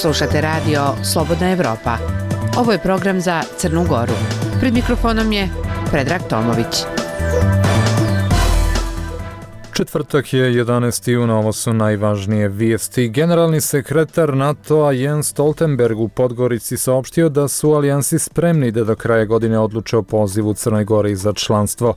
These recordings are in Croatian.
Slušate radio Slobodna Evropa. Ovo je program za Crnu Goru. Pred mikrofonom je Predrag Tomović. Četvrtak je 11. juna, ovo su najvažnije vijesti. Generalni sekretar NATO-a Jens Stoltenberg u Podgorici saopštio da su alijansi spremni da do kraja godine odluče o pozivu Crnoj Gori za članstvo.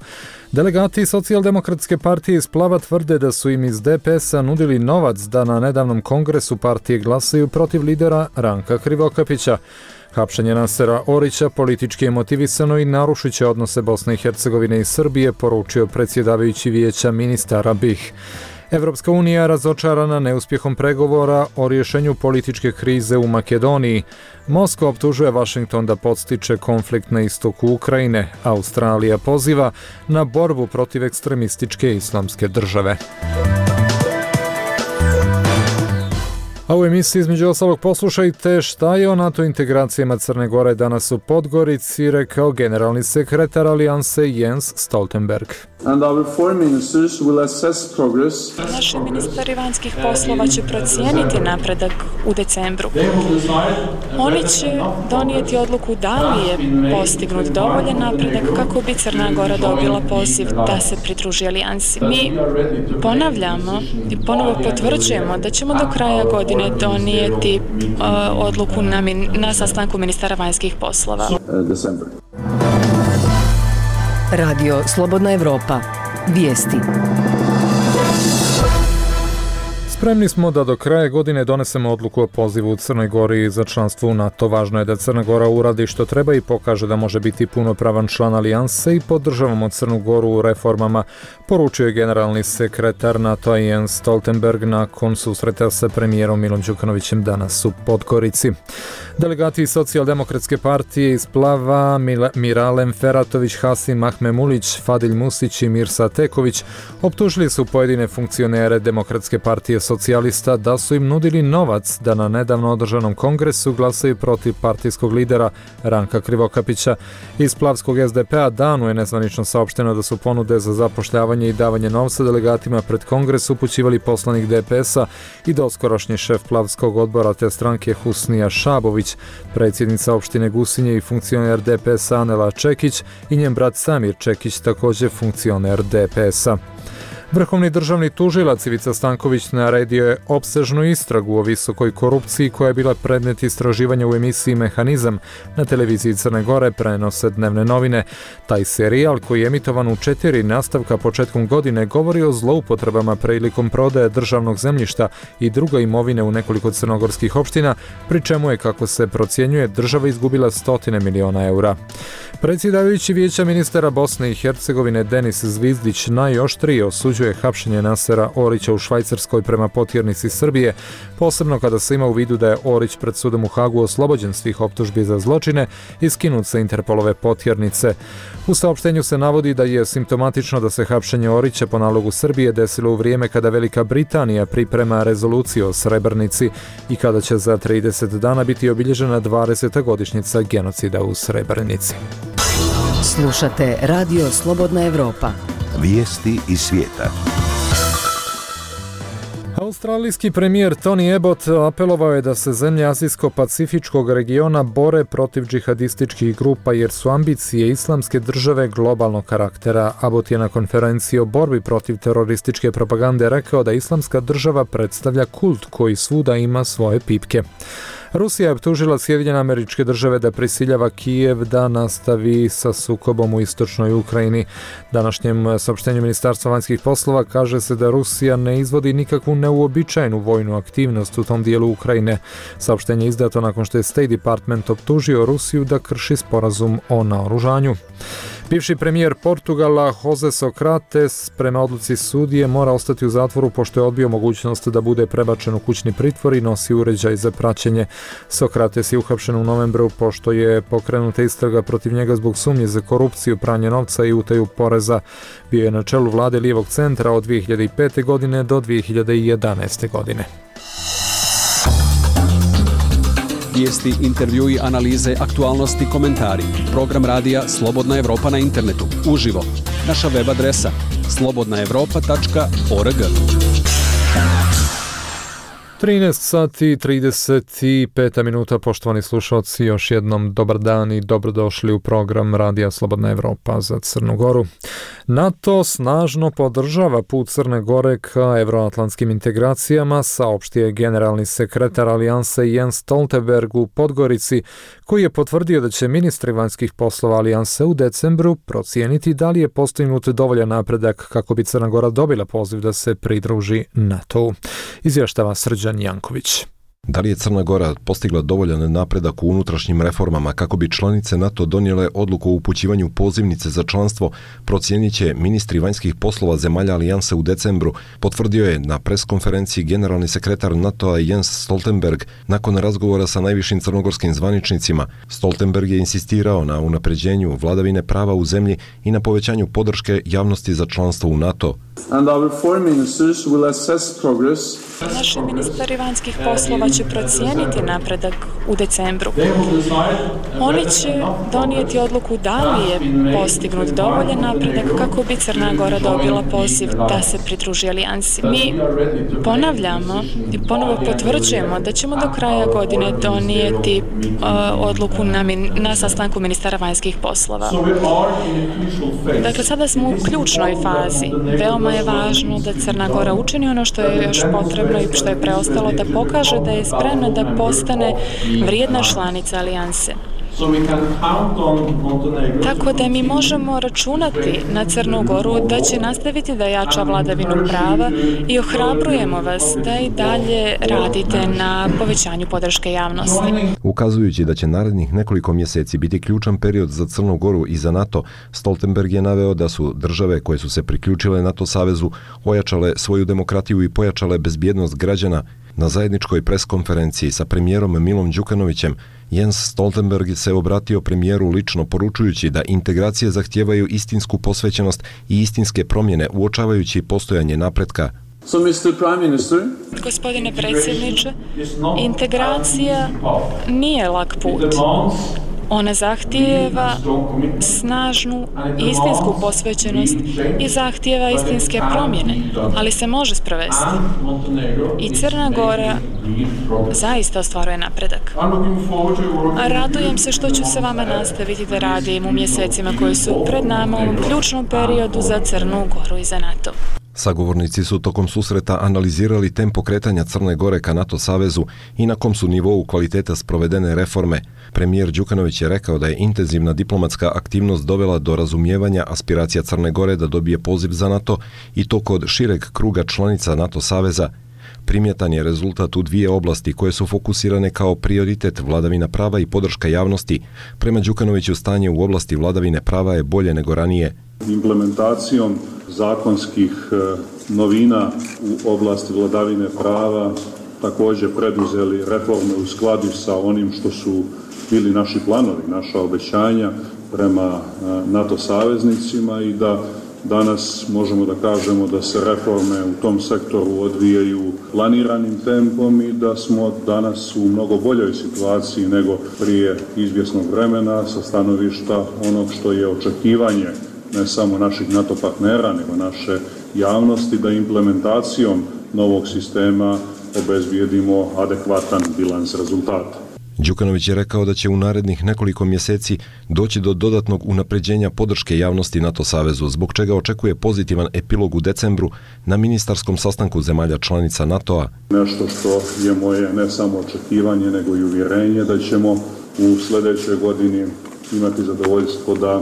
Delegati Socijaldemokratske partije iz Plava tvrde da su im iz DPS-a nudili novac da na nedavnom kongresu partije glasaju protiv lidera Ranka Krivokapića. Hapšenje Nasera Orića politički je motivisano i narušit će odnose Bosne i Hercegovine i Srbije, poručio predsjedavajući vijeća ministara BiH. Evropska unija razočarana neuspjehom pregovora o rješenju političke krize u Makedoniji. Moskva optužuje Washington da podstiče konflikt na istoku Ukrajine. Australija poziva na borbu protiv ekstremističke islamske države. A u emisiji između ostalog poslušajte šta je o NATO integracijama Crne Gore danas u Podgorici rekao generalni sekretar alijanse Jens Stoltenberg. Naši ministri vanjskih poslova će procijeniti napredak u decembru. Oni će donijeti odluku da li je postignut dovoljan napredak kako bi Crna Gora dobila poziv da se pridruži alijansi. Mi ponavljamo i ponovo potvrđujemo da ćemo do kraja godine donijeti odluku na sastanku ministara vanjskih poslova. Radio Slobodna Evropa. Vijesti. Spremni smo da do kraja godine donesemo odluku o pozivu u Crnoj Gori za članstvo u NATO. Važno je da Crna Gora uradi što treba i pokaže da može biti punopravan član alijanse i podržavamo Crnu Goru u reformama, poručio je generalni sekretar NATO Jens Stoltenberg nakon susreta sa premijerom Milom Đukanovićem danas u Podgorici. Delegati Socijaldemokratske partije iz Plava Miralem Feratović, Hasim Mahmemulić, Fadil Musić i Mirsa Teković optužili su pojedine funkcionere Demokratske partije socijalista da su im nudili novac da na nedavno održanom kongresu glasaju protiv partijskog lidera Ranka Krivokapića. Iz Plavskog SDP-a danu je nezvanično saopšteno da su ponude za zapošljavanje i davanje novca delegatima pred kongres upućivali poslanik DPS-a i doskorašnji šef Plavskog odbora te stranke Husnija Šabović, predsjednica opštine Gusinje i funkcioner DPS-a Anela Čekić i njen brat Samir Čekić, također funkcioner DPS-a. Vrhovni državni tužilac Ivica Stanković naredio je opsežnu istragu o visokoj korupciji koja je bila predmet istraživanja u emisiji Mehanizam na televiziji Crne Gore, prenose Dnevne novine. Taj serijal koji je emitovan u 4 nastavka početkom godine govori o zloupotrebama prilikom prodaje državnog zemljišta i druge imovine u nekoliko crnogorskih opština, pri čemu je, kako se procjenjuje, država izgubila 100 miliona eura. Predsjedavajući vijeća ministara Bosne i Hercegovine Denis Zvizdić najoštrije osuđuje hapšenje Nasera Orića u Švajcarskoj prema potjernici Srbije, posebno kada se ima u vidu da je Orić pred sudom u Hagu oslobođen svih optužbi za zločine i skinut sa Interpolove potjernice. U saopštenju se navodi da je simptomatično da se hapšenje Orića po nalogu Srbije desilo u vrijeme kada Velika Britanija priprema rezoluciju o Srebrenici i kada će za 30 dana biti obilježena 20. godišnjica genocida u Srebrenici. Slušate Radio Slobodna Evropa. Vijesti iz svijeta. Australijski premijer Tony Abbott apelovao je da se zemlje Azijsko-Pacifičkog regiona bore protiv džihadističkih grupa jer su ambicije islamske države globalnog karaktera. Abbott je na konferenciji o borbi protiv terorističke propagande rekao da islamska država predstavlja kult koji svuda ima svoje pipke. Rusija je optužila Sjedinjene Američke Države da prisiljava Kijev da nastavi sa sukobom u istočnoj Ukrajini. Današnjem saopštenju Ministarstva vanjskih poslova kaže se da Rusija ne izvodi nikakvu neuobičajenu vojnu aktivnost u tom dijelu Ukrajine. Saopštenje je izdato nakon što je State Department optužio Rusiju da krši sporazum o naoružanju. Bivši premijer Portugala Jose Sokrates prema odluci sudije mora ostati u zatvoru pošto je odbio mogućnost da bude prebačen u kućni pritvor i nosi uređaj za praćenje. Sokrates je uhapšen u novembru pošto je pokrenuta istraga protiv njega zbog sumnje za korupciju, pranje novca i utaju poreza. Bio je na čelu vlade lijevog centra od 2005. godine do 2011. godine. Vijesti, intervjui, analize, aktualnosti, komentari. Program radija Slobodna Evropa na internetu. Uživo. Naša web adresa slobodnaevropa.org. 13 sati i 35 minuta, poštovani slušalci, još jednom dobar dan i dobrodošli u program Radija Slobodna Evropa za Crnu Goru. NATO snažno podržava put Crne Gore ka evroatlantskim integracijama, saopštio je generalni sekretar Alijanse Jens Stoltenberg u Podgorici, koji je potvrdio da će ministri vanjskih poslova Alijanse u decembru procijeniti da li je postignut dovoljan napredak kako bi Crna Gora dobila poziv da se pridruži NATO-u. Izvještava Srđan Janković. Da li je Crna Gora postigla dovoljan napredak u unutrašnjim reformama kako bi članice NATO donijele odluku o upućivanju pozivnice za članstvo, procijenit će ministri vanjskih poslova zemalja Alijanse u decembru, potvrdio je na preskonferenciji generalni sekretar NATO-a Jens Stoltenberg nakon razgovora sa najvišim crnogorskim zvaničnicima. Stoltenberg je insistirao na unapređenju vladavine prava u zemlji i na povećanju podrške javnosti za članstvo u NATO. Naši ministri vanjskih poslova će procijeniti napredak u decembru. Oni će donijeti odluku da li je postignut dovoljan napredak kako bi Crna Gora dobila poziv da se pridruži alijansi. Mi ponavljamo i ponovo potvrđujemo da ćemo do kraja godine donijeti odluku na sastanku ministara vanjskih poslova. Dakle, sada smo u ključnoj fazi. Veoma je važno da Crna Gora učini ono što je još potrebno i što je preostalo, da pokaže da je spremna da postane vrijedna članica alijanse. Tako da mi možemo računati na Crnu Goru da će nastaviti da jača vladavinu prava i ohrabrujemo vas da i dalje radite na povećanju podrške javnosti. Ukazujući da će narednih nekoliko mjeseci biti ključan period za Crnu Goru i za NATO, Stoltenberg je naveo da su države koje su se priključile NATO savezu ojačale svoju demokratiju i pojačale bezbjednost građana. Na zajedničkoj preskonferenciji sa premijerom Milom Đukanovićem, Jens Stoltenberg se obratio premijeru lično poručujući da integracije zahtijevaju istinsku posvećenost i istinske promjene uočavajući postojanje napretka. Gospodine predsjedniče, integracija nije lak put. Ona zahtijeva snažnu istinsku posvećenost i zahtijeva istinske promjene, ali se može sprovesti. I Crna Gora zaista ostvaruje napredak. Radujem se što ću se vama nastaviti da radim u mjesecima koji su pred nama u ovom ključnom periodu za Crnu Goru i za NATO. Sagovornici su tokom susreta analizirali tempo kretanja Crne Gore ka NATO savezu i na kom su nivou kvaliteta sprovedene reforme. Premijer Đukanović je rekao da je intenzivna diplomatska aktivnost dovela do razumijevanja aspiracija Crne Gore da dobije poziv za NATO i to kod šireg kruga članica NATO saveza. Primjetan je rezultat u dvije oblasti koje su fokusirane kao prioritet vladavina prava i podrška javnosti. Prema Đukanoviću stanje u oblasti vladavine prava je bolje nego ranije. Implementacijom zakonskih novina u oblasti vladavine prava također preduzeli reforme u skladu sa onim što su bili naši planovi, naša obećanja prema NATO saveznicima i da danas možemo da kažemo da se reforme u tom sektoru odvijaju planiranim tempom i da smo danas u mnogo boljoj situaciji nego prije izvjesnog vremena sa stanovišta onog što je očekivanje ne samo naših NATO partnera, nego naše javnosti da implementacijom novog sistema obezbijedimo adekvatan bilans rezultata. Đukanović je rekao da će u narednih nekoliko mjeseci doći do dodatnog unapređenja podrške javnosti NATO savezu, zbog čega očekuje pozitivan epilog u decembru na ministarskom sastanku zemalja članica NATO-a. Nešto što je moje ne samo očekivanje, nego i uvjerenje da ćemo u sljedećoj godini imati zadovoljstvo da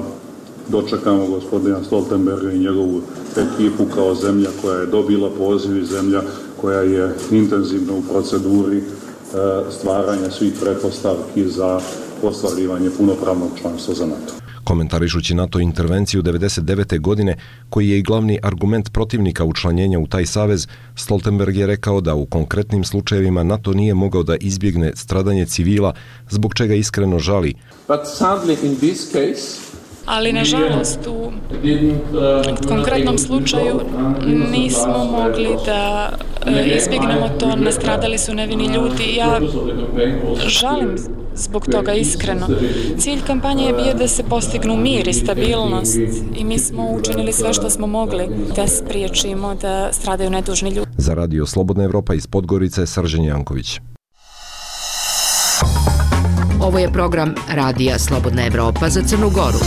dočekamo gospodina Stoltenberga i njegovu ekipu kao zemlja koja je dobila poziv i zemlja koja je intenzivno u proceduri stvaranja svih pretpostavki za ostvarivanje punopravnog članstva za NATO. Komentarišući NATO intervenciju 1999. godine, koji je i glavni argument protivnika učlanjenja u taj savez, Stoltenberg je rekao da u konkretnim slučajevima NATO nije mogao da izbjegne stradanje civila, zbog čega iskreno žali. Ali, nažalost, u konkretnom slučaju nismo mogli da izbjegnemo to, nastradali su nevini ljudi. Ja žalim zbog toga iskreno. Cilj kampanje je bio da se postignu mir i stabilnost i mi smo učinili sve što smo mogli da spriječimo da stradaju nedužni ljudi. Za Radio Slobodna Evropa iz Podgorice, Srđan Janković. Ovo je program Radija Slobodna Evropa za Crnu Goru.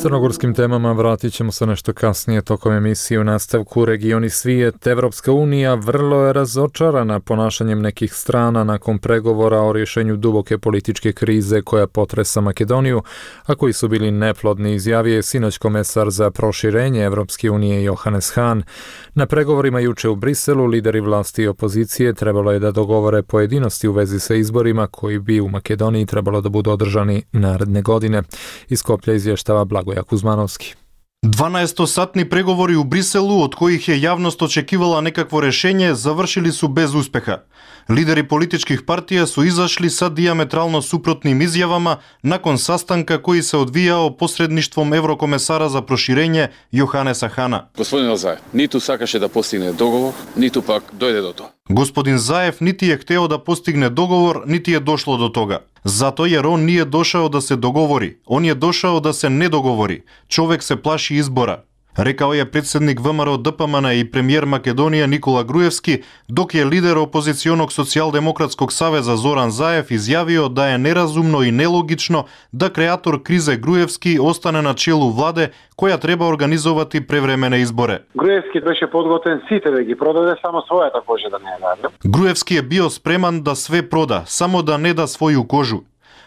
Crnogorskim temama vratit ćemo se nešto kasnije tokom emisije. U nastavku Region i svijet. Evropska unija vrlo je razočarana ponašanjem nekih strana nakon pregovora o rješenju duboke političke krize koja potresa Makedoniju, a koji su bili neplodni, izjavio je sinoć komesar za proširenje Evropske unije Johannes Hahn. Na pregovorima juče u Briselu lideri vlasti i opozicije trebalo je da dogovore pojedinosti u vezi sa izborima koji bi u Makedoniji trebalo da budu održani naredne godine. Iz Skoplja izvještava Blagoja Kuzmanovski. 12-satni pregovori u Бриселу, од коих je javnost očekivala nekakvo rešenje, završili su bez uspeha. Lideri političkih partija su izašli sa diametralno suprotnim izjavama nakon sastanka koji se odvijao posredništvom Evrokomesara za proširenje Johannesa Hahna. Gospodin Zaev, nitу сакаше да постигне договор, ниту пак дојде до тоа. Господин Заев niti je hteo da postigne dogovor, niti je došlo do toga. Zato jer on nije došao da se dogovori. On je došao da se ne dogovori. Čovek se plaši izbora. Rekao je predsjednik ВМРО ДПМН i premijer Makedonije Nikola Gruevski, dok je lider opozicionog socijaldemokratskog saveza Zoran Zaev izjavio da je nerazumno i nelogično da kreator krize Gruevski ostane na čelu vlade koja treba organizovati prevremene izbore. Gruevski беше подготвен сите да ги продаде, само својата кожа да не ја даде. Gruevski je bio spreman da sve proda, samo da ne da svoju kožu.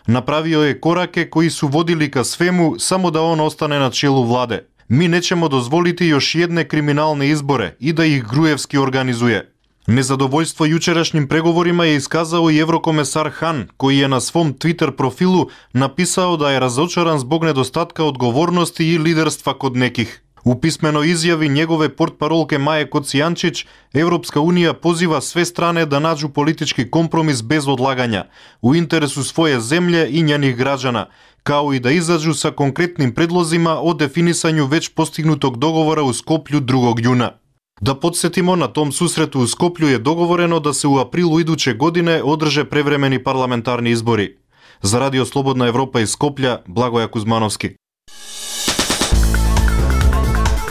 Napravio je korake koji su vodili ka svemu, samo da on ostane na čelu vlade. Mi nećemo dozvoliti još jedne kriminalne izbore i da ih Gruevski organizuje. Nezadovoljstvo jučerašnjim pregovorima je iskazao i Evrokomesar Hahn, koji je na svom Twitter profilu napisao da je razočaran zbog nedostatka odgovornosti i liderstva kod nekih. U pismenoj izjavi njegove portparolke Maje Kocijančić, Evropska unija poziva sve strane da nađu politički kompromis bez odlaganja, u interesu svoje zemlje i njenih građana, kao i da izađu sa konkretnim predlozima o definisanju već postignutog dogovora u Skoplju 2. juna. Da podsjetimo, na tom susretu u Skoplju je dogovoreno da se u aprilu iduće godine održe prevremeni parlamentarni izbori. Za Radio Slobodna Evropa iz Skoplja, Blagoja Kuzmanovski.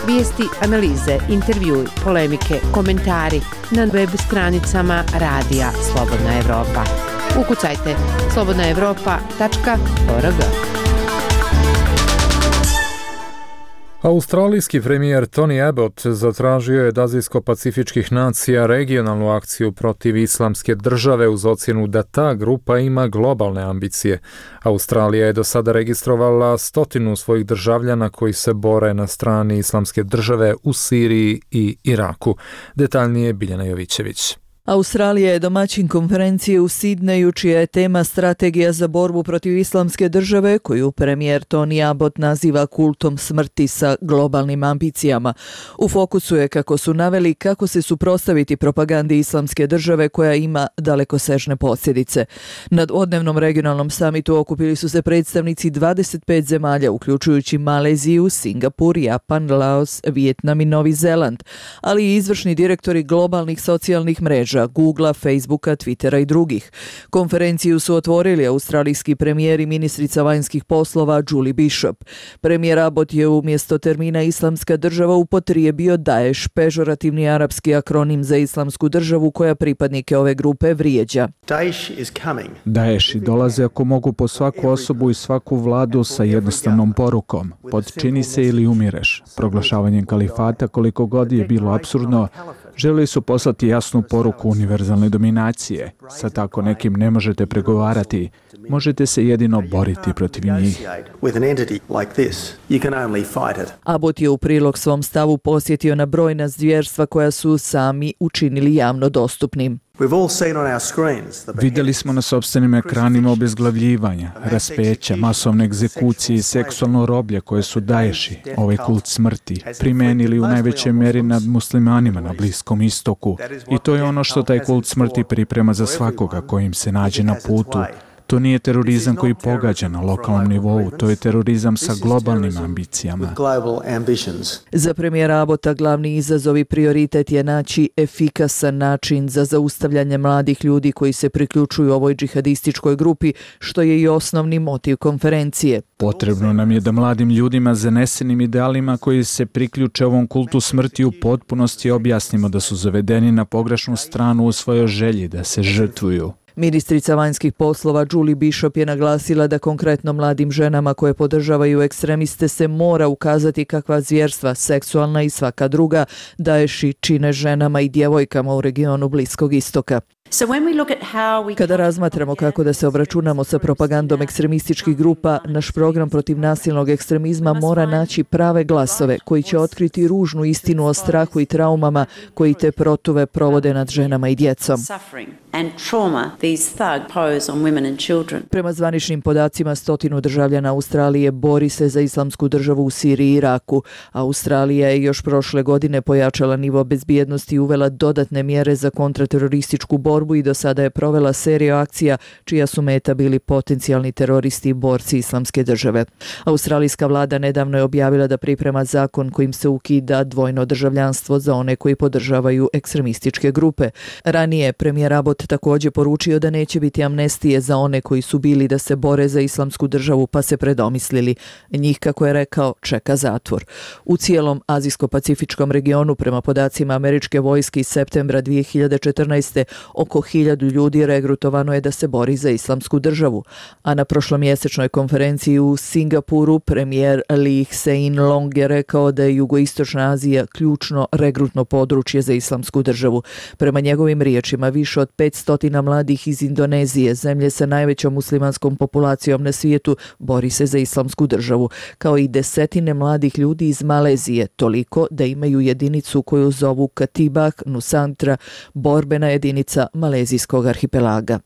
Vijesti, analize, intervjui, polemike, komentari na web stranicama Radija Slobodna Evropa. Ukucajte slobodnaevropa.org. Australijski premijer Tony Abbott zatražio je od Azijsko-pacifičkih nacija regionalnu akciju protiv islamske države uz ocjenu da ta grupa ima globalne ambicije. Australija je do sada registrovala 100 svojih državljana koji se bore na strani islamske države u Siriji i Iraku. Detaljnije Biljana Jovićević. Australija je domaćin konferencije u Sidneju, čija je tema strategija za borbu protiv islamske države, koju premijer Tony Abbott naziva kultom smrti sa globalnim ambicijama. U fokusu je, kako su naveli, kako se suprotstaviti propagandi islamske države koja ima dalekosežne posljedice. Na dvodnevnom regionalnom samitu okupili su se predstavnici 25 zemalja, uključujući Maleziju, Singapur, Japan, Laos, Vijetnam i Novi Zeland, ali i izvršni direktori globalnih socijalnih mreža, Googlea, Facebooka, Twittera i drugih. Konferenciju su otvorili australijski premijer i ministrica vanjskih poslova Julie Bishop. Premijer Abbott je umjesto termina islamska država upotrijebio Daesh, pežorativni arapski akronim za islamsku državu koja pripadnike ove grupe vrijeđa. Daeshi dolaze ako mogu po svaku osobu i svaku vladu sa jednostavnom porukom: podčini se ili umireš. Proglašavanjem kalifata, koliko god je bilo apsurdno, želi su poslati jasnu poruku univerzalne dominacije. Sa tako nekim ne možete pregovarati, možete se jedino boriti protiv njih. Abbott je u prilog svom stavu posjetio na brojna zvjerstva koja su sami učinili javno dostupnim. Vidjeli smo na sopstvenim ekranima obezglavljivanja, raspeća, masovne egzekucije i seksualno roblje koje su Daeshi, ovaj kult smrti, primenili u najvećoj mjeri nad muslimanima na Bliskom istoku. I to je ono što taj kult smrti priprema za svakoga kojim se nađe na putu. To nije terorizam koji pogađa na lokalnom nivou, to je terorizam sa globalnim ambicijama. Za premijera Abota glavni izazov i prioritet je naći efikasan način za zaustavljanje mladih ljudi koji se priključuju ovoj džihadističkoj grupi, što je i osnovni motiv konferencije. Potrebno nam je da mladim ljudima zanesenim idealima koji se priključe ovom kultu smrti u potpunosti objasnimo da su zavedeni na pogrešnu stranu u svojoj želji da se žrtvuju. Ministrica vanjskih poslova Julie Bishop je naglasila da konkretno mladim ženama koje podržavaju ekstremiste se mora ukazati kakva zvjerstva, seksualna i svaka druga, Daeši čine ženama i djevojkama u regionu Bliskog istoka. Kada razmatramo kako da se obračunamo sa propagandom ekstremističkih grupa, naš program protiv nasilnog ekstremizma mora naći prave glasove koji će otkriti ružnu istinu o strahu i traumama koji te protuve provode nad ženama i djecom. Prema zvaničnim podacima 100 državljana Australije bori se za islamsku državu u Siriji i Iraku. Australija je još prošle godine pojačala nivo bezbjednosti i uvela dodatne mjere za kontraterorističku borbu i do sada je provela seriju akcija čija su meta bili potencijalni teroristi i borci islamske države. Australijska vlada nedavno je objavila da priprema zakon kojim se ukida dvojno državljanstvo za one koji podržavaju ekstremističke grupe. Ranije premijer Abbott također poručio da neće biti amnestije za one koji su bili da se bore za islamsku državu pa se predomislili. Njih, kako je rekao, čeka zatvor. U cijelom azijsko-pacifičkom regionu, prema podacima američke vojske iz septembra 2014. oko 1000 ljudi regrutovano je da se bori za islamsku državu. A na prošlomjesečnoj konferenciji u Singapuru premijer Lee Hsien Loong je rekao da je jugoistočna Azija ključno regrutno područje za islamsku državu. Prema njegovim riječima, više od 500 mladih iz Indonezije, zemlje sa najvećom muslimanskom populacijom na svijetu, bori se za islamsku državu, kao i desetine mladih ljudi iz Malezije, toliko da imaju jedinicu koju zovu Katibah Nusantara, borbena jedinica malezijskog arhipelaga.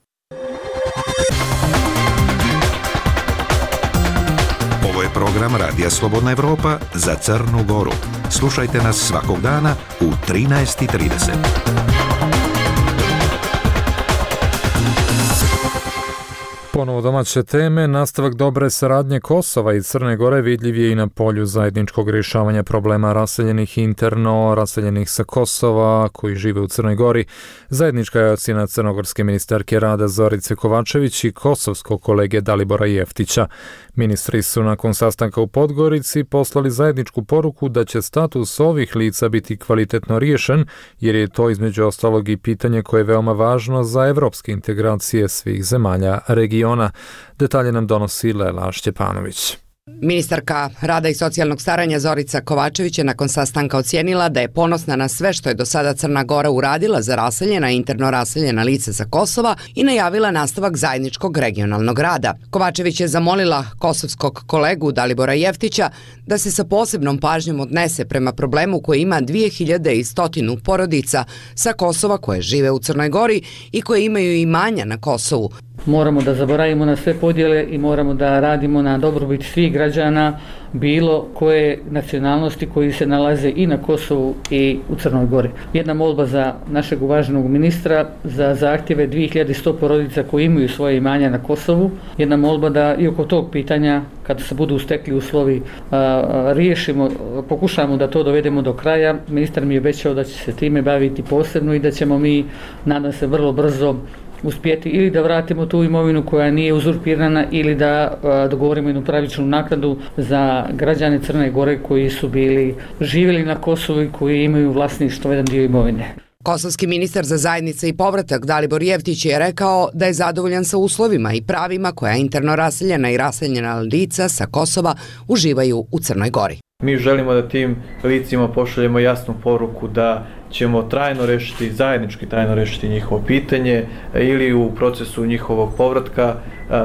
Ovo je program Radija Slobodna Evropa za Crnu Goru. Slušajte nas svakog dana u 13:30. Ponovo domaće teme, nastavak dobre saradnje Kosova i Crne Gore vidljiv je i na polju zajedničkog rješavanja problema raseljenih interno, raseljenih sa Kosova koji žive u Crnoj Gori. Zajednička je ocjena crnogorske ministarke rada Zorice Kovačević i kosovskog kolege Dalibora Jeftića. Ministri su nakon sastanka u Podgorici poslali zajedničku poruku da će status ovih lica biti kvalitetno riješen, jer je to između ostalog i pitanje koje je veoma važno za evropske integracije svih zemalja regiona. Detalje nam donosi Lela Šćepanović. Ministarka rada i socijalnog staranja Zorica Kovačević je nakon sastanka ocijenila da je ponosna na sve što je do sada Crna Gora uradila za raseljena i interno raseljena lica sa Kosova i najavila nastavak zajedničkog regionalnog rada. Kovačević je zamolila kosovskog kolegu Dalibora Jeftića da se sa posebnom pažnjom odnese prema problemu koji ima 2100 porodica sa Kosova koje žive u Crnoj Gori i koje imaju imanja na Kosovu. Moramo da zaboravimo na sve podjele i moramo da radimo na dobrobit svih građana, bilo koje nacionalnosti koji se nalaze i na Kosovu i u Crnoj Gori. Jedna molba za našeg uvaženog ministra za zahtjeve 2100 porodica koji imaju svoje imanja na Kosovu. Jedna molba da i oko tog pitanja, kada se budu stekli uslovi, riješimo, pokušamo da to dovedemo do kraja. Ministar mi je obećao da će se time baviti posebno i da ćemo mi, nadam se, vrlo brzo uspjeti ili da vratimo tu imovinu koja nije uzurpirana ili da dogovorimo jednu pravičnu naknadu za građane Crne Gore koji su bili živjeli na Kosovu i koji imaju vlasništvo jedan dio imovine. Kosovski ministar za zajednice i povratak Dalibor Jeftić je rekao da je zadovoljan sa uslovima i pravima koja interno raseljena i raseljena lica sa Kosova uživaju u Crnoj Gori. Mi želimo da tim licima pošaljemo jasnu poruku da ćemo zajednički trajno rešiti njihovo pitanje ili u procesu njihovog povratka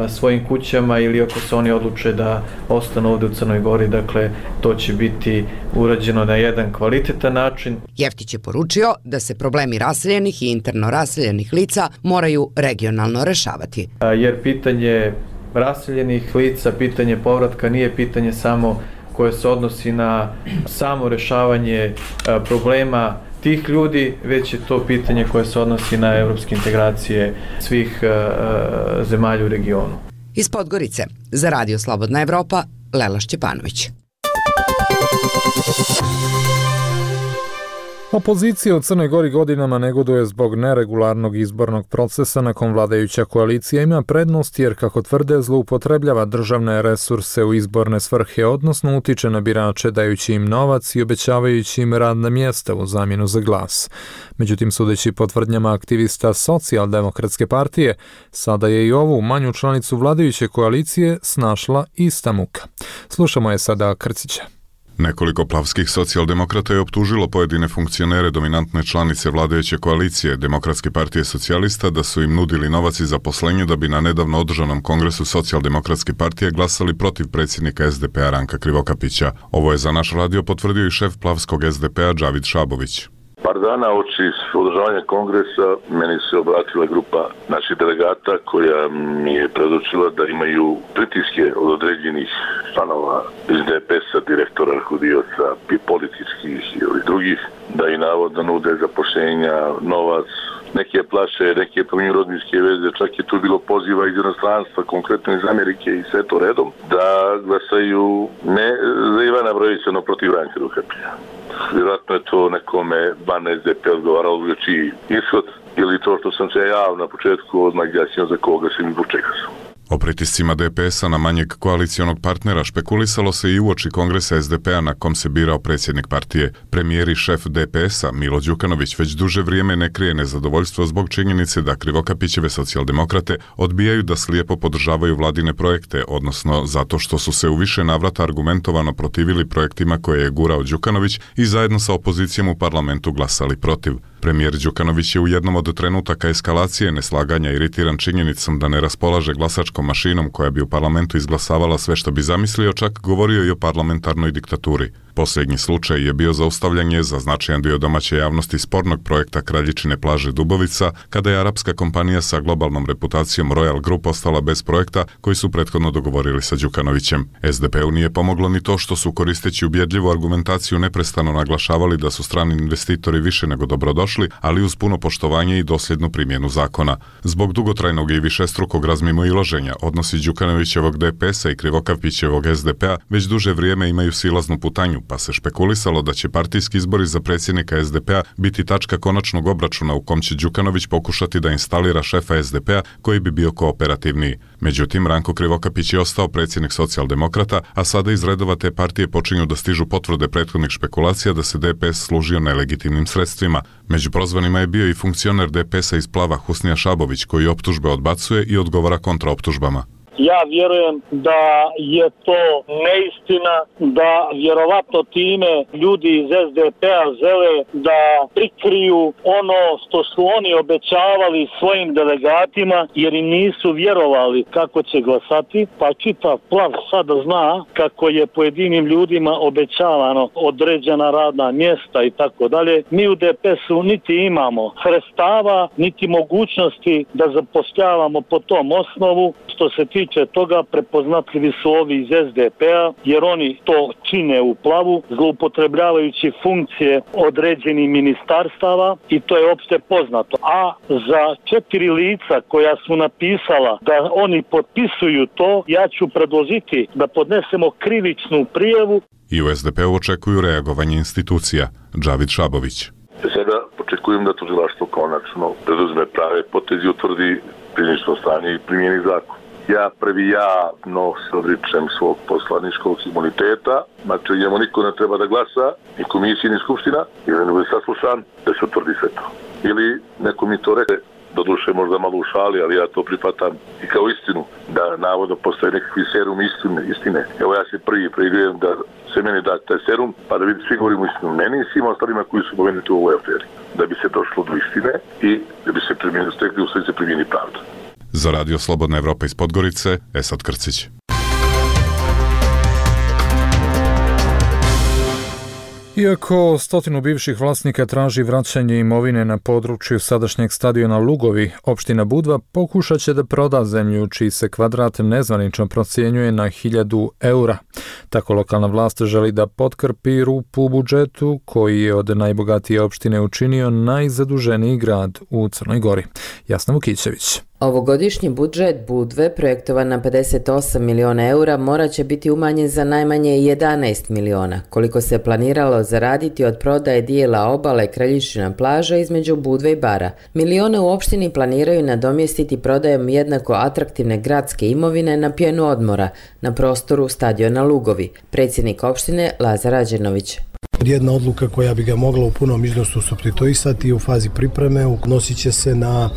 svojim kućama ili ako se oni odluče da ostanu ovdje u Crnoj Gori, dakle to će biti urađeno na jedan kvalitetan način. Jeftić je poručio da se problemi raseljenih i interno raseljenih lica moraju regionalno rešavati. Jer pitanje raseljenih lica, pitanje povratka nije pitanje samo koje se odnosi na samo rešavanje problema tih ljudi, već je to pitanje koje se odnosi na evropske integracije svih zemalja u regionu. Iz Podgorice, za Radio Slobodna Evropa, Lela Šćepanović. Opozicija u Crnoj Gori godinama negoduje zbog neregularnog izbornog procesa na kom vladajuća koalicija ima prednost jer, kako tvrde, zloupotrebljava državne resurse u izborne svrhe, odnosno utiče na birače dajući im novac i obećavajući im radna mjesta u zamjenu za glas. Međutim, sudeći po tvrdnjama aktivista Socijaldemokratske partije, sada je i ovu manju članicu vladajuće koalicije snašla ista muka. Slušamo je sada Krcića. Nekoliko plavskih socijaldemokrata je optužilo pojedine funkcionere dominantne članice vladajuće koalicije Demokratske partije socijalista da su im nudili novac i zaposlenje da bi na nedavno održanom kongresu Socijaldemokratske partije glasali protiv predsjednika SDP-a Ranka Krivokapića. Ovo je za naš radio potvrdio i šef plavskog SDP-a Džavid Šabović. Par dana oči održavanja kongresa meni se obratila grupa naših delegata koja mi je predočila da imaju pritiske od određenih članova iz DPS-a, direktora, rukovodioca, političkih ili drugih, da i navodno nude zapošljenja, novac, neke plaše, neke pominju rodbinske veze, čak je tu bilo poziva iz inostranstva, konkretno iz Amerike i sve to redom, da glasaju ne za Ivana Brojevića, no protiv Ranka Krivokapića. Vjerojatno je to nekome van SDP odgovaralo čiji ishod ili to što sam se javno na početku odmah jasnio za koga sam i zbog čega sam. O pritiscima DPS-a na manjeg koalicijonog partnera špekulisalo se i uoči kongresa SDP-a na kom se birao predsjednik partije. Premijer i šef DPS-a Milo Đukanović već duže vrijeme ne krije nezadovoljstvo zbog činjenice da Krivokapićeve socijaldemokrate odbijaju da slijepo podržavaju vladine projekte, odnosno zato što su se u više navrata argumentovano protivili projektima koje je gurao Đukanović i zajedno sa opozicijom u parlamentu glasali protiv. Premijer Đukanović je u jednom od trenutaka eskalacije neslaganja iritiran činjenicom da ne raspolaže glasačkom mašinom koja bi u parlamentu izglasavala sve što bi zamislio, čak govorio i o parlamentarnoj diktaturi. Posljednji slučaj je bio zaustavljanje za značajan dio domaće javnosti spornog projekta Kraljičine plaže Dubovica, kada je arapska kompanija sa globalnom reputacijom Royal Group ostala bez projekta koji su prethodno dogovorili sa Đukanovićem. SDP-u nije pomoglo ni to što su, koristeći ubjedljivu argumentaciju, neprestano naglašavali da su strani investitori više nego dobrodošli, ali uz puno poštovanje i dosljednu primjenu zakona. Zbog dugotrajnog i višestrukog razmimoilaženja, odnosi Đukanovićevog DPS-a i Krivokapićevog SDP-a već duže vrijeme imaju silaznu putanju, pa se špekulisalo da će partijski izbori za predsjednika SDP-a biti tačka konačnog obračuna u kom će Đukanović pokušati da instalira šefa SDP-a koji bi bio kooperativniji. Međutim, Ranko Krivokapić je ostao predsjednik socijaldemokrata, a sada iz redova te partije počinju da stižu potvrde prethodnih špekulacija da se DPS služio nelegitimnim sredstvima. Među prozvanima je bio i funkcioner DPS-a iz Plava Husnija Šabović, koji optužbe odbacuje i odgovara kontraoptužbama. Ja vjerujem da je to neistina, da vjerovatno time ljudi iz SDP-a žele da prikriju ono što su oni obećavali svojim delegatima, jer im nisu vjerovali kako će glasati, pa čitav Plav sada zna kako je pojedinim ljudima obećavano određena radna mjesta i tako dalje. Mi u DPS-u niti imamo sredstava, niti mogućnosti da zapošljavamo po tom osnovu. Što se tiče toga, prepoznatljivi su ovi iz SDP-a, jer oni to čine u Plavu, zloupotrebljavajući funkcije određenih ministarstava i to je opšte poznato. A za 4 lica koja su napisala da oni potpisuju to, ja ću predložiti da podnesemo krivičnu prijavu. I u SDP-u očekuju reagovanje institucija. Džavid Šabović. Sada očekujem da tužilaštvo konačno preduzme prave potezi, utvrdi činjenično stanje i primjeni zakon. Ja prvi javno se odričem svog poslaničkog imuniteta, znači njemu niko ne treba da glasa, ni komisija, ni skupština, ili ne bude saslušan, da se utvrdi sve to. Ili neko mi to reče, doduše možda malo u šali, ali ja to prihvatam i kao istinu, da navodno postoje nekakvi serum istine. Evo ja se prvi preigrajem da se meni da taj serum, pa da vidi svi govorimo istinu meni i svima ostalima koji su pomenuti u ovoj aferi. Da bi se došlo do istine i da bi se stekli u sve se primjeni pravda. Za Radio Slobodna Evropa iz Podgorice, Esad Krcić. Iako 100 bivših vlasnika traži vraćanje imovine na području sadašnjeg stadiona Lugovi, opština Budva pokušat će da proda zemlju čiji se kvadrat nezvanično procjenjuje na 1000 eura. Tako lokalna vlast želi da potkrpi rupu u budžetu koji je od najbogatije opštine učinio najzaduženiji grad u Crnoj Gori. Jasna Vukićević. Ovogodišnji budžet Budve, projektovan na 58 miliona eura, morat će biti umanjen za najmanje 11 miliona, koliko se planiralo zaraditi od prodaje dijela obale Kraljičina plaža između Budve i Bara. Milione u opštini planiraju nadomjestiti prodajom jednako atraktivne gradske imovine na pjenu odmora na prostoru stadiona Lugovi. Predsjednik opštine Lazar Ađenović. Jedna odluka koja bi ga mogla u punom iznosu supstituisati u fazi pripreme odnosit će se na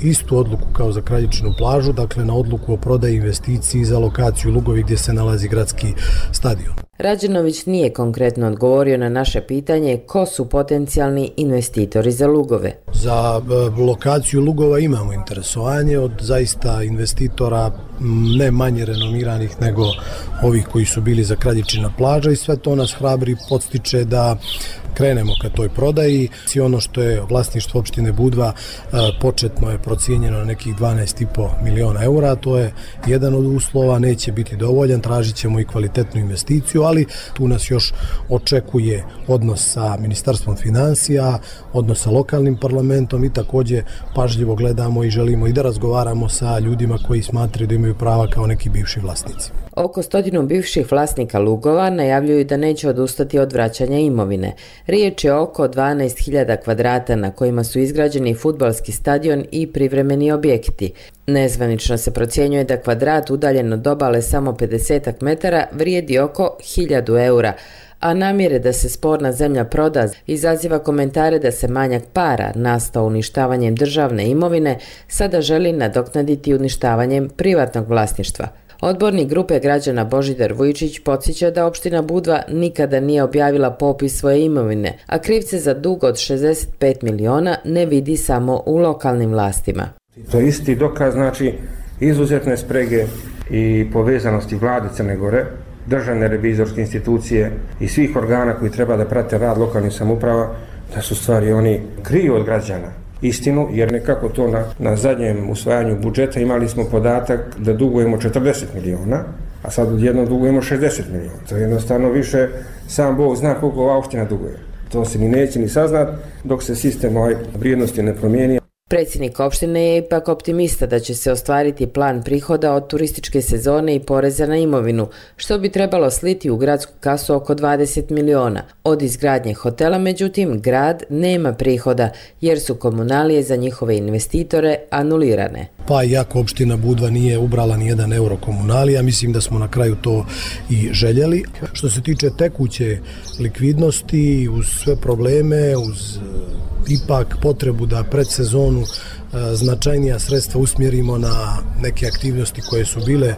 istu odluku kao za Kraljičinu plažu, dakle na odluku o prodaji investiciji za lokaciju Lugovi gdje se nalazi gradski stadion. Rađenović nije konkretno odgovorio na naše pitanje ko su potencijalni investitori za Lugove. Za lokaciju Lugova imamo interesovanje od zaista investitora ne manje renomiranih nego ovih koji su bili za Kraljičina plaža i sve to nas hrabri podstiče da krenemo ka toj prodaji. I ono što je vlasništvo opštine Budva početno je procijenjeno na nekih 12,5 miliona eura, to je jedan od uslova, neće biti dovoljan, tražit ćemo i kvalitetnu investiciju, ali tu nas još očekuje odnos sa Ministarstvom financija, odnos sa lokalnim parlamentom i također pažljivo gledamo i želimo i da razgovaramo sa ljudima koji smatraju da imaju prava kao neki bivši vlasnici. Oko 100 bivših vlasnika Lugova najavljuju da neće odustati od vraćanja imovine. Riječ je oko 12.000 kvadrata na kojima su izgrađeni fudbalski stadion i privremeni objekti. Nezvanično se procjenjuje da kvadrat udaljen od obale samo 50 metara vrijedi oko 1000 eura, a namjere da se sporna zemlja proda izaziva komentare da se manjak para nastao uništavanjem državne imovine sada želi nadoknaditi uništavanjem privatnog vlasništva. Odbornik grupe građana Božidar Vujčić podsjeća da opština Budva nikada nije objavila popis svoje imovine, a krivce za dug od 65 miliona ne vidi samo u lokalnim vlastima. To je isti dokaz, znači, izuzetne sprege i povezanosti vlade Crne Gore, državne revizorske institucije i svih organa koji treba da prate rad lokalnih samouprava, da su stvari oni kriju od građana istinu, jer nekako to na zadnjem usvajanju budžeta imali smo podatak da dugujemo 40 miliona, a sad odjedno dugujemo 60 miliona. To je jednostavno više, sam Bog zna koliko ova opština duguje. To se ni neće ni saznat dok se sistem vrijednosti ne promijeni. Predsjednik opštine je ipak optimista da će se ostvariti plan prihoda od turističke sezone i poreza na imovinu, što bi trebalo sliti u gradsku kasu oko 20 miliona. Od izgradnje hotela, međutim, grad nema prihoda, jer su komunalije za njihove investitore anulirane. Pa iako opština Budva nije ubrala ni 1 euro komunalija, mislim da smo na kraju to i željeli. Što se tiče tekuće likvidnosti, uz sve probleme, uz ipak potrebu da pred sezonu značajnija sredstva usmjerimo na neke aktivnosti koje su bile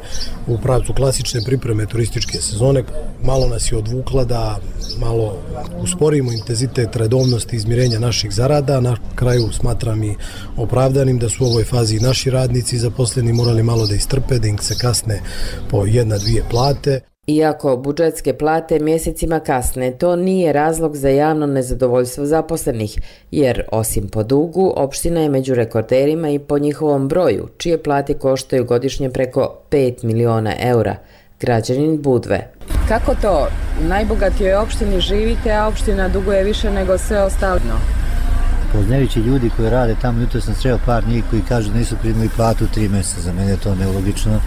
u pravcu klasične pripreme turističke sezone. Malo nas je odvukla da malo usporimo intenzitet redovnosti izmirenja naših zarada. Na kraju smatram i opravdanim da su u ovoj fazi i naši radnici zaposleni morali malo da istrpe, da im se kasne po 1-2 plate. Iako budžetske plate mjesecima kasne, to nije razlog za javno nezadovoljstvo zaposlenih, jer osim po dugu, opština je među rekorderima i po njihovom broju, čije plate koštaju godišnje preko 5 miliona eura. Građanin Budve. Kako to? U najbogatijoj opštini živite, a opština duguje više nego sve ostalo? Poznajući ljudi koji rade tamo, jutro sam sreo par njih koji kažu da nisu primili platu 3 mjeseca. Za mene je to nelogično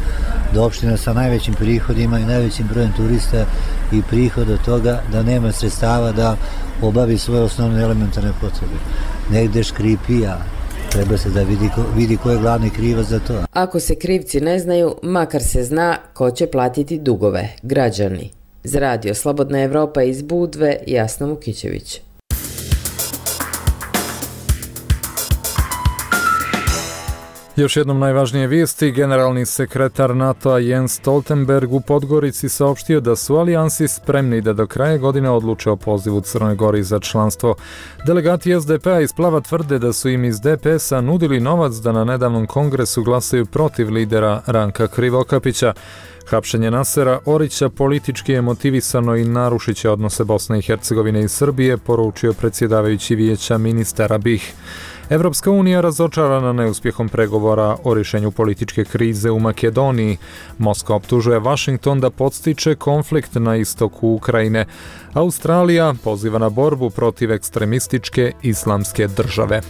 da opština sa najvećim prihodima i najvećim brojem turista i prihod od toga da nema sredstava da obavi svoje osnovne elementarne potrebe. Negde škripi, a treba se da vidi ko je glavni krivac za to. Ako se krivci ne znaju, makar se zna ko će platiti dugove, građani. Za radio Slobodna Evropa iz Budve, Jasna Vukićević. Još jednom najvažnije vijesti, generalni sekretar NATO-a Jens Stoltenberg u Podgorici saopštio da su alijansi spremni da do kraja godine odluče o pozivu Crnoj Gori za članstvo. Delegati SDP-a iz Plava tvrde da su im iz DPS-a nudili novac da na nedavnom kongresu glasaju protiv lidera Ranka Krivokapića. Hapšenje Nasera Orića politički je motivisano i narušit će odnose Bosne i Hercegovine i Srbije, poručio predsjedavajući vijeća ministara BiH. Evropska unija razočarana neuspjehom pregovora o rješenju političke krize u Makedoniji. Moskva optužuje Washington da podstiče konflikt na istoku Ukrajine. Australija poziva na borbu protiv ekstremističke islamske države.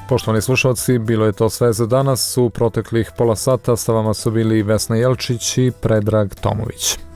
Poštovani slušalci, bilo je to sve za danas. U proteklih pola sata sa vama su bili Vesna Jelčić i Predrag Tomović.